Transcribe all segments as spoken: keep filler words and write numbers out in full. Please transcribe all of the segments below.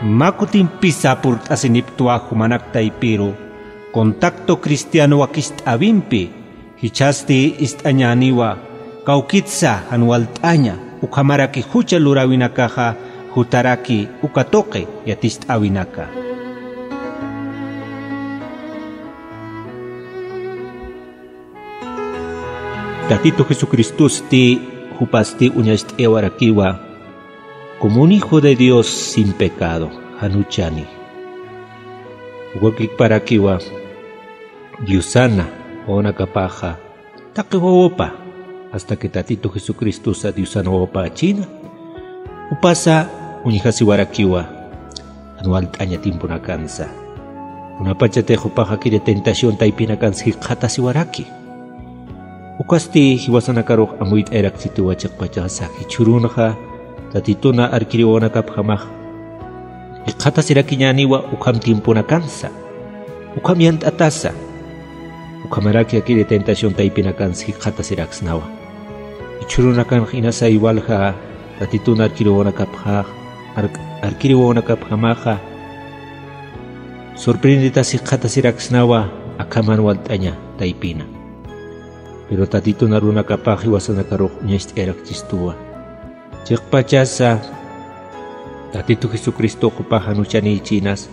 Mä kutimpisa purt'asinipktwa jumanak taypiru contacto cristiano wakist'äwimpi, jichhasti ist'añäniwa kawkitsa jan walt'aña ukhamaraki jucha luräwinakaxa jutaraki uka tuqi yatist'äwinaka. Tatitu Jesucristosti jupasti uñacht'ayawarakiwa como un hijo de Dios sin pecado, jan juchani. Uka kikparakiwa Diosana wawanakapaxa taqi wawapa, hasta que Tatitu Jesucristosa Diosana wawapa china, jupasa uñjasiwarakiwa jan walt'aña tiemponakansa. Kunapachatix jupax akiri tentación taypinakansa jikxatasiwaraki. Ukasti jiwasanakarux amuyt'ayarakchituwa chiqpachasa jichhürunxa Tatituna arkiri wawanakapjamax jikxatasirakiñäniwa ukham tiemponakansa, ukham yant'atasa, ukhamaraki akiri tentación taypinakansa jikxatasiraksnawa. Jichhürunakanx inasay walja Tatitun arkiri wawanakapjax, ark-, arkiri wawanakapjamaxa sorprenditas jikxatasiraksnawa akham jan walt'aña taypina. Pero Tatitun arunakapax jiwasanakarux uñacht'ayarakchistuwa. Chiqpachasa Tatitu Jesucristo jupax jan juchanïchinas,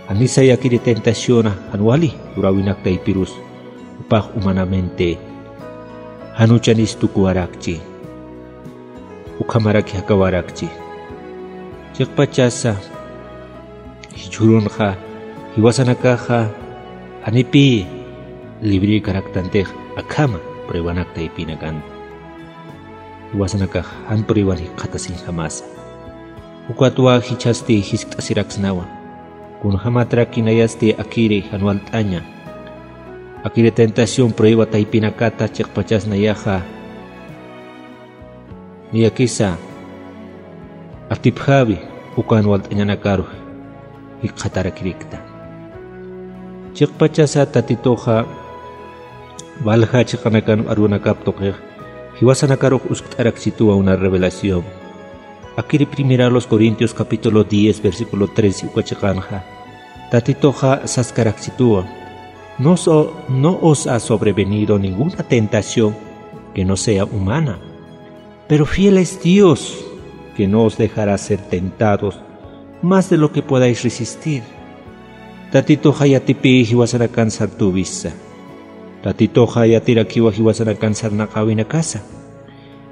janisay akiri tentaciona jan wali luräwinak taypirus, jupax humanamente jan juchanis tukuwarakchi, ukhamaraki jakawarakchi. Chiqpachasa jichhürunxa jiwasanakaxa janipï librïkaraktantix akhama pruebanak taypinakan. Jiwasanakax jan prueban jikxatasiñjamasa. Ukatwa jichhasti jiskt'asiraksnawa. Kunjämatraki nayasti akiri jan walt'aña, akiri tentación prueba taypinakata chiqpachas nayaxa niyakisa atipjawi uka jan walt'añanakaru jikxatarakirikta. Chiqpachasa Tatituxa walja chiqanakan arunakap tuqix jiwasanakarux uskt'arakchituwa una revelación. Akiri Primera a los Corintios capítulo diez, versículo trece uka chiqanxa Tatituxa saskarakchituwa: "No os, no os ha sobrevenido ninguna tentación que no sea humana, pero fiel es Dios, que no os dejará ser tentados más de lo que podáis resistir." Tatituxa yatipï jiwasanakan sartüwisa. Tatituxa yatirakiwa jiwasanakan sarnaqäwinakasa.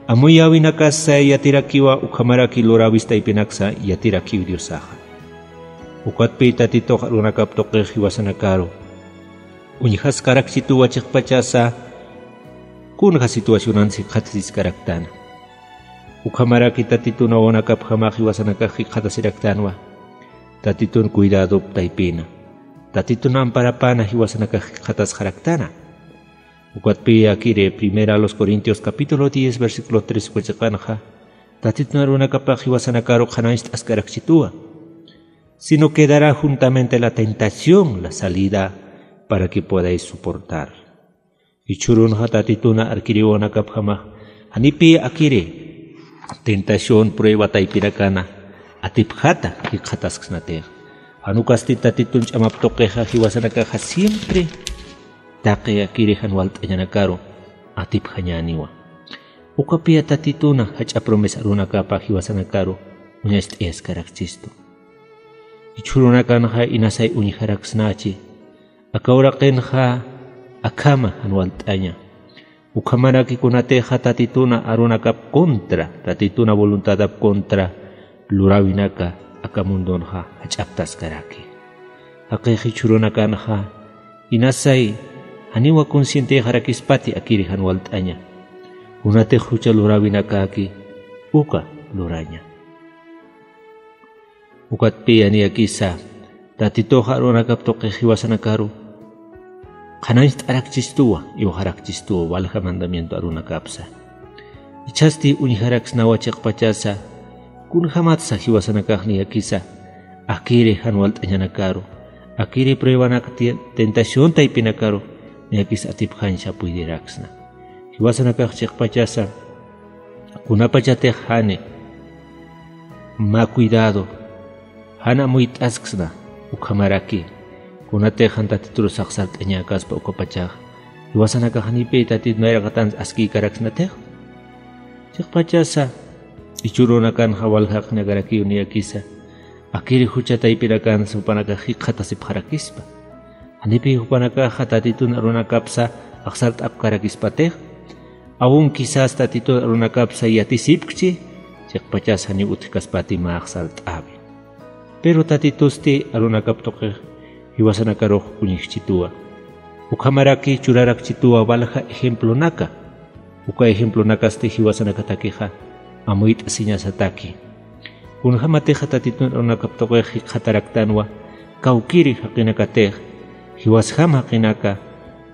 Amuyäwinakasa yatirakiwa ukhamaraki luräwis taypinaksa yatirakiw Diosaxa. Ukatpï Tatitux arunakap tuqix jiwasanakaru uñjaskarakchituwa chiqpachasa kunja situacionan jikxatasiskaraktana. Ukhamaraki Tatitun wawanakapjamax jiwasanakax jikxatasiraktanwa. Tatitun cuidadop taypina, Tatitun amparapana jiwasanakax jikxatasxaraktana. Ukatpï akiri Primera a los Corintios capítulo diez, versículo tres uka chiqanxa Tatitun arunakapax jiwasanakaru qhanañcht'askarakchituwa: "Sino que dará juntamente la tentación, la salida, para que podáis soportar." Jichhürunxa Tatituna arkiri wawanakapjamax janipï akiri tentación, prueba taypinakana atipjata jikxatasksnatix. Jan ukasti Tatitun ch'amap tuqixa jiwasanakaxa siempre taqi akiri jan walt'añanakaru atipjañäniwa. Ukapï Tatituna jach'a promesa arunakapa jiwasanakaru uñacht'ayaskarakchistu. Jichhürunakanxa inasay uñjaraksnachi, aka uraqinxa akhama jan walt'aña. Ukhamaraki kunatixa Tatituna arunakap contra, Tatituna voluntadap contra luräwinaka aka mundonxa jach'aptaskaraki. Jaqix jichhürunakanxa inasay janiwa conscienteyxarakispati akiri jan walt'aña, kunatix jucha luräwinakäki uka luraña. Ukatpï niyakisa Tatituxa arunakap tuqix jiwasanakaru qhanañcht'arakchistuwa, iwxarakchistuwa walja mandamiento arunakapsa. Jichhasti uñjaraksnawa chiqpachasa, kunjämatsa jiwasanakax niyakisa akiri jan walt'añanakaru, akiri pruebanak ti-, tentación taypinakaru niyakisa atipjañsa puydiraksna. Jiwasanakax chiqpachasa kunapachatix jani mä cuidado, jan amuyt'asksna, ukhamaraki kunatix jan Tatitur saxsart'añäkaspa ukapachax jiwasanakax janipï Tatitu nayraqatansa askïkaraksnatix. Chiqpachasa jichhürunakanxa waljaqinakarakiw niyakisa akiri jucha taypinakansa jupanakax jikxatasipxarakispa. Janipï jupanakaxa Tatitun arunakapsa axsart'apkarakispatix, aun quizás Tatitun arunakapsa yatisipkchi, chiqpachas janiw utjkaspati mä axsart'äwi. Pero Tatitusti arunakap tuqix jiwasanakarux uñjchituwa. Ukhamaraki churarakchituwa walja ejemplonaka. Uka ejemplonakasti jiwasanakatakixa amuyt'asiñasataki. Kunjämatixa Tatitun arunakap tuqix jikxataraktanwa kawkïri jaqinakatix, jiwasjam jaqinaka,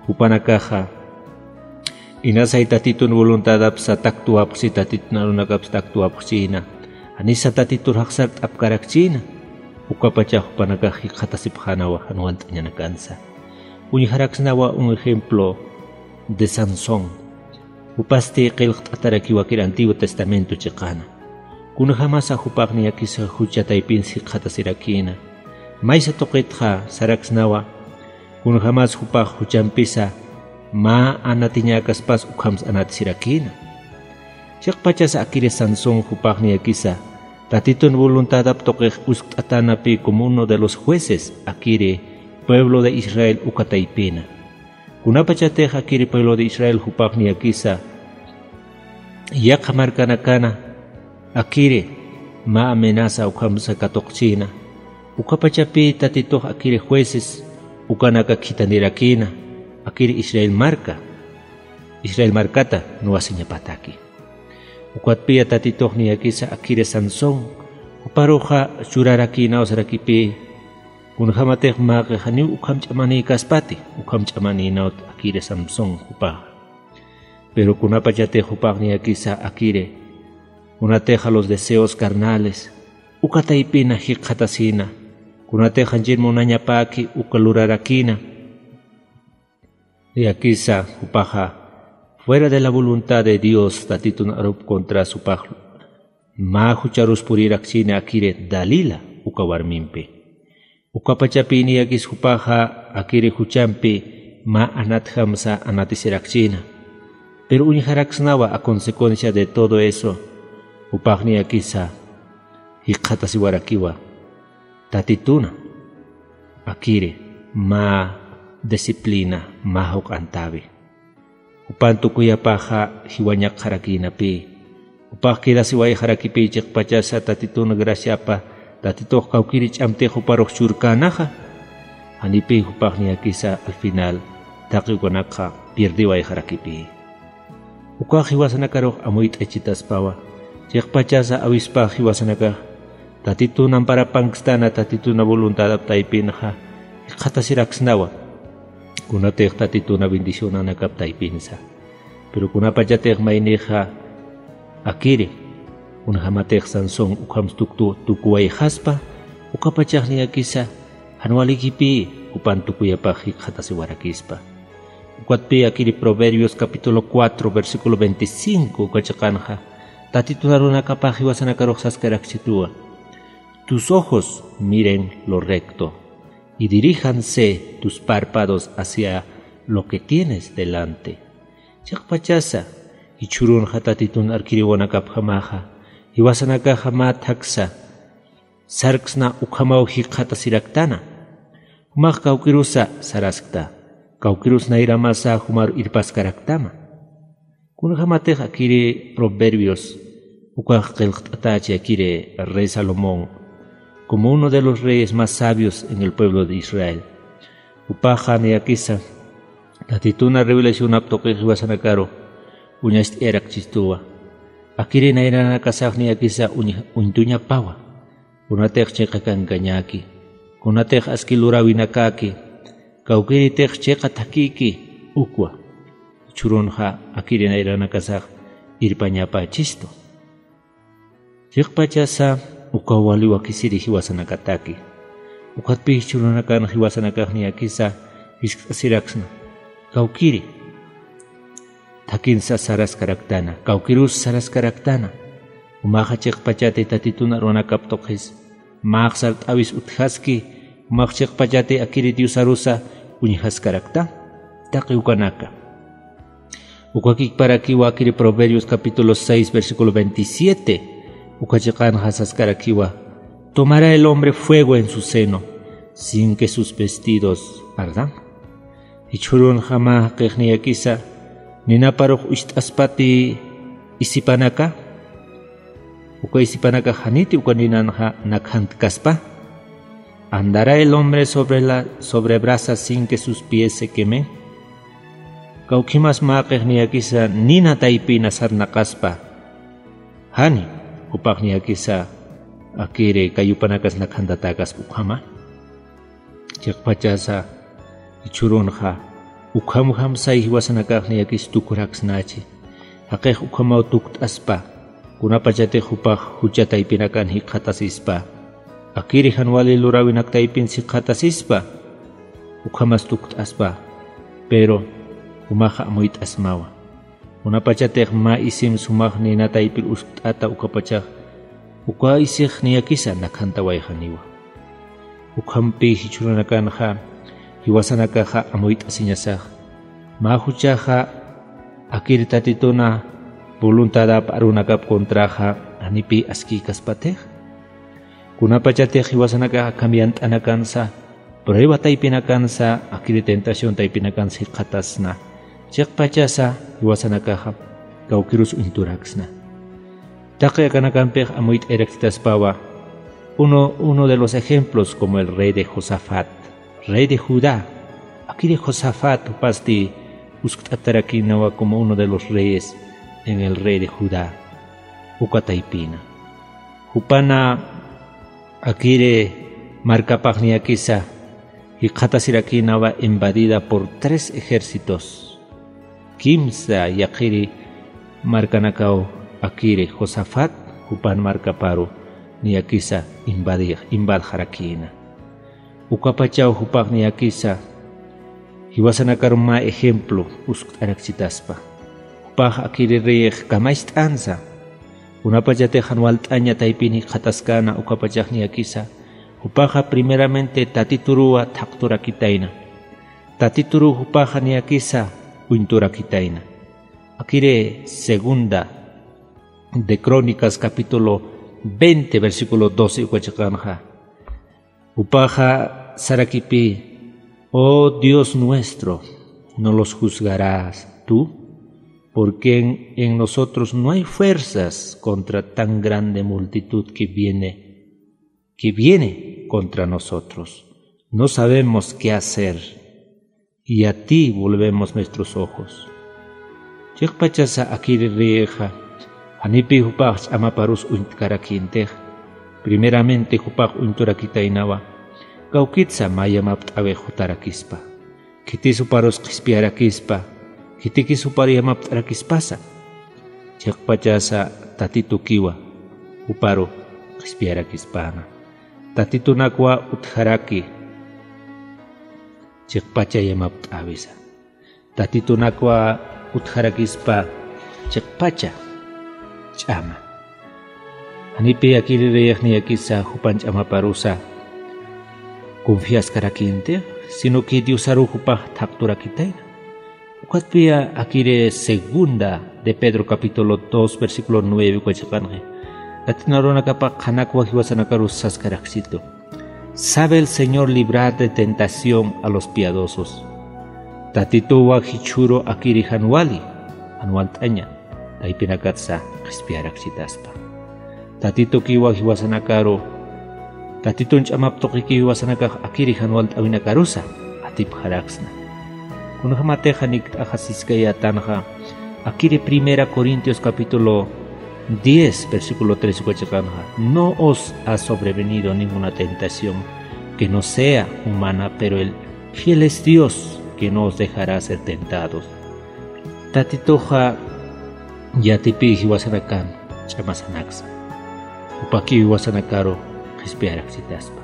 jupanakaxa inasay Tatitun voluntadapsa taktuwapxchi, Tatitun arunakapsa taktuwapxchïna, janisa Tatitur jaxsart'apkarakchïna, ukapachax jupanakax jikxatasipxänawa jan want'añanakansa. Uñjaraksnawa un ejemplo de Sansón. Jupasti qillqt'atarakiw akir Antiguo Testamento chiqana. Kunjämasa jupax niyakisa jucha taypinsa jikxatasirakïna. Maysa tuqitxa saraksnawa, kunjämas jupax juchampisa mä anatiñäkaspas ukhamsa anatisirakïna. Chiqpachasa akiri Sansón jupax niyakisa Tatitun voluntadap tuqix uskt'atanapï como uno de los jueces akiri pueblo de Israel uka taypina. Kunapachatix akiri pueblo de Israel jupax niyakisa yaqha markanakana akiri mä amenaza ukhamsa katuqchïna, ukapachapï Tatitux akiri jueces ukanaka khithanirakïna, akiri Israel marka, Israel markata nuwasiñapataki. Ukatpiya Tatitux niyakisa akiri Sansón, juparuxa churarakïnaw sarakipï, kunjämatix mäqi janiw ukham ch'amanïkaspati, ukham ch'amanïnawt akiri Sansón jupaxa. Pero kunapachatix jupax niyakisa akiri, kunatixa los deseos carnales, uka taypina jikxatasïna, kunatix janchir munañapäki uka lurarakïna, niyakisa jupaxa fuera de la voluntad de Dios Tatitun arup contras jupax mä jucharus purirakchïna akiri Dalila uka warmimpi. Ukapachapï niyakis jupaxa akiri juchampi mä anatjamsa anatisirakchïna. Pero uñjaraksnawa a consecuencia de todo eso, jupax niyakisa jikxatasiwarakiwa Tatituna akiri mä disciplina, mä juq'antäwi. Jupan tukuyapaxa jiwañakxarakïnapï. Jupax quedasiwayxarakipï chiqpachasa Tatitun graciapa, Tatitux kawkïri ch'amtix juparux churkänaxa. Janipï jupax niyakisa al final taqi ukanakxa pierdiwayxarakipï. Ukax jiwasanakarux amuyt'achitaspawa. Chiqpachasa awispax jiwasanakax Tatitun amparapankstana, Tatituna voluntadap taypinxa jikxatasiraksnawa. Kunatix Tatituna bendicionanakap taypinsa. Pero kunapachatix maynixa akiri, kunjämatix Sansón ukham tuktu-, tukuwayxaspa, ukapachax niyakisa jan walikipï jupan tukuyapax jikxatasiwarakispa. Ukatpï akiri Proverbios capítulo cuatro, versículo veinticinco uka chiqanxa, Tatitun arunakapax jiwasanakarux saskarakchituwa: Tus ojos miren lo recto, y diríjanse tus párpados hacia lo que tienes delante. Chiqpachasa, jichhürunxa Tatitun arkiriwanakapjamaxa, jiwasanakaxa mä thaksa sarksna ukhamaw jikxatasiraktana. Jumax kawkirusa saraskta, kawkirus nayramasa jumaru irpaskaraktama. Kunjämatix akiri Proverbios ukax qillqt'atächi akiri rey Salomón como uno de los reyes más sabios en el pueblo de Israel. Jupaxa niyakisa Tatituna revelacionap tuqix jiwasanakaru uñacht'ayarakchistuwa. Akiri nayranakasax niyakisa uñ-, uñtuñapawa. Kunatix chiqa kankañäki, kunatix aski luräwinakäki, kawkïritix chiqa thakïki, ukwa. Jichhürunxa akiri nayranakasax irpañapächistu. Chiqpachasa ukaw wali wakisiri jiwasanakataki. Ukatpï jichhürunakan jiwasanakax niyakisa jiskt'asiraksna. Kawkïri thakhinsa saraskaraktana, kawkirus saraskaraktana. Jumaxa chiqpachati Tatitun arunakap tuqis Mä sart'äwis utjaski, jumax chiqpachati akiri Diosarusa uñjaskarakta. Taqi ukanaka. Ukakikparakiwa akiri Proverbios capítulo seis, versículo veintisiete. Uka chiqanxa saskarakiwa: "Tomará el hombre fuego en su seno, sin que sus vestidos ardan". Jichhürunxa mä jaqix niyakisa ninaparux ucht'aspati isipanaka, uka isipanaka janiti uka ninanxa nakhantkaspa. "Andará el hombre sobre la, sobre brasa sin que sus pies se quemen". Kawkhimas mä jaqix niyakisa nina taypina sarnaqaspa. Jani, jupax niyakisa akiri kayupanakas nakhantatakas ukhama. Chiqpachasa jichhürunxa, ukhamjamsay jiwasanakax niyakis tukuraksnachi. Jaqix ukhamaw tukt'aspa, kunapachatix jupax jucha taypinakan jikxatasispa. Akiri jan wali luräwinak taypin jikxatasispa, ukhamas tukt'aspa, pero jumaxa amuyt'asmawa. Kunapachatix mä isim sumax nina taypir uskt'ata ukapachax, uka isix niyakisa nakhantawayxaniwa. Ukhampi jichhürunakanxa jiwasanakaxa amuyt'asiñasax, mä juchaxa akir Tatituna voluntadap arunakap contraxa janipï askïkaspatix. Kunapachatix jiwasanakaxa akham yant'anakansa, prueba taypinakansa, akiri tentación taypinakansa jikxatasna, chiqpachasa jiwasanakaxa kawkirus uñturaksna. Taqi akanakampix amuyt'ayrakstaspawa, uno, uno de los ejemplos como el rey de Josafat, rey de Judá, akiri Josafat jupasti uskt'atarakïnawa como uno de los reyes en el rey de Judá, uka taypina. Jupana akiri markapax niyakisa jikxatasirakïnawa invadida por tres ejércitos. Kimsa yaqhiri markanakaw akiri Josafat jupan markaparu niyakisa invadix, invadxarakïna. Ukapachaw jupax niyakisa jiwasanakaru mä ejemplo uskt'araksitaspa. Jupax akiri reyix kamacht'ansa, kunapachatix jan walt'aña taypin jikxataskäna ukapachax niyakisa, jupaxa primeramente Tatituruwa thaqturakitayna. Tatituruw jupaxa niyakisa uñturakitayna. Akiri Segunda de Crónicas capítulo veinte, versículo doce uka chiqanxa. Jupaxa sarakipï: "Oh Dios nuestro, ¿no los juzgarás tú? Porque en, en nosotros no hay fuerzas contra tan grande multitud que viene, que viene contra nosotros. No sabemos qué hacer. Y a ti volvemos nuestros ojos". Chiqpachasa akiri reyixa, janipï jupax ch'amaparus uñtkarakïntix, primeramente jupax uñturakitaynawa, kawkitsa mä yamapt'äwix jutarakispa. Khitis juparus qhispiyarakispa, khitikis jupar yamapt'arakispasa. Chiqpachasa Tatitukiwa juparu qhispiyarakispana. Tatitunakwa utjaraki chiqpacha yamapt'äwisa. Tatitunakwa utjarakispa chiqpacha ch'ama. Janipï akiri reyix niyakisa jupan ch'amaparusa confiaskarakïntix, sino que Diosaru jupax thaqturakitayna. Ukatpï akiri Segunda de Pedro capítulo dos, versículo nueve uka chiqanxa, Latina arunakapa qhanakwa jiwasanakarus saskaraksitu: "Sabe el Señor librar de tentación a los piadosos". Tatituwa jichhüru akiri jan wali, jan walt'aña taypinakatsa qhispiyaraksitaspa. Tatitukiwa jiwasanakaru, Tatitun ch'amap tuqikiw jiwasanakax akiri jan walt'äwinakarusa atipxaraksna. Kunjamatixa nikt'axasiskayätanxa, akiri Primera Corintios capítulo diez, versículo tres uka chiqanxa: "No os ha sobrevenido ninguna tentación que no sea humana, pero el fiel es Dios, que no os dejará ser tentados". Tatituxa yatipï jiwasanakan ch'amasanaksa. Jupakiw jiwasanakaru qhispiyaraksitaspa.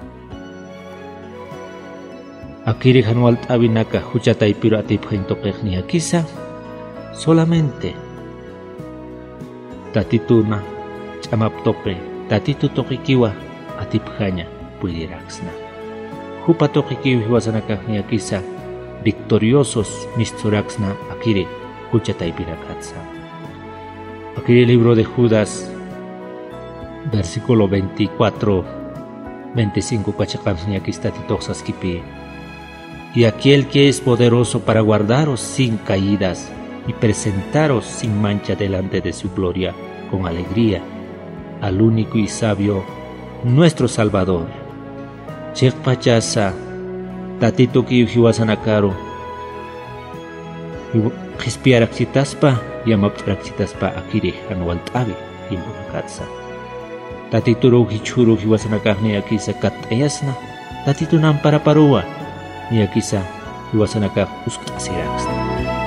Akiri jan walt'äwinaka jucha taypiru atipxañ tuqix niyakisa, solamente Tatituna ch'amap tuqi, Tatitu tuqikiwa atipjaña puydiraksna. Jupa tuqikiw jiwasanakax niyakisa victoriosos misturaksna akiri jucha taypirakatsa. Akiri libro de Judas, versículo veinticuatro, veinticinco kachaqam niyakis Tatitux saskipï. Y aquel que es poderoso para guardaros sin caídas y presentaros sin mancha delante de su gloria con alegría, al único y sabio, nuestro Salvador. Chiqpachasa, Tatitukiw jiwasanakaru, jiw-, qhispiyaraksitaspa, yamapt'araksitaspa akiri jan walt'äwi tiemponakatsa. Tatituruw jichhüruw jiwasanakax niyakisa katt'ayasna, Tatitun amparaparuwa niyakisa jiwasanakax uskt'asiraksna.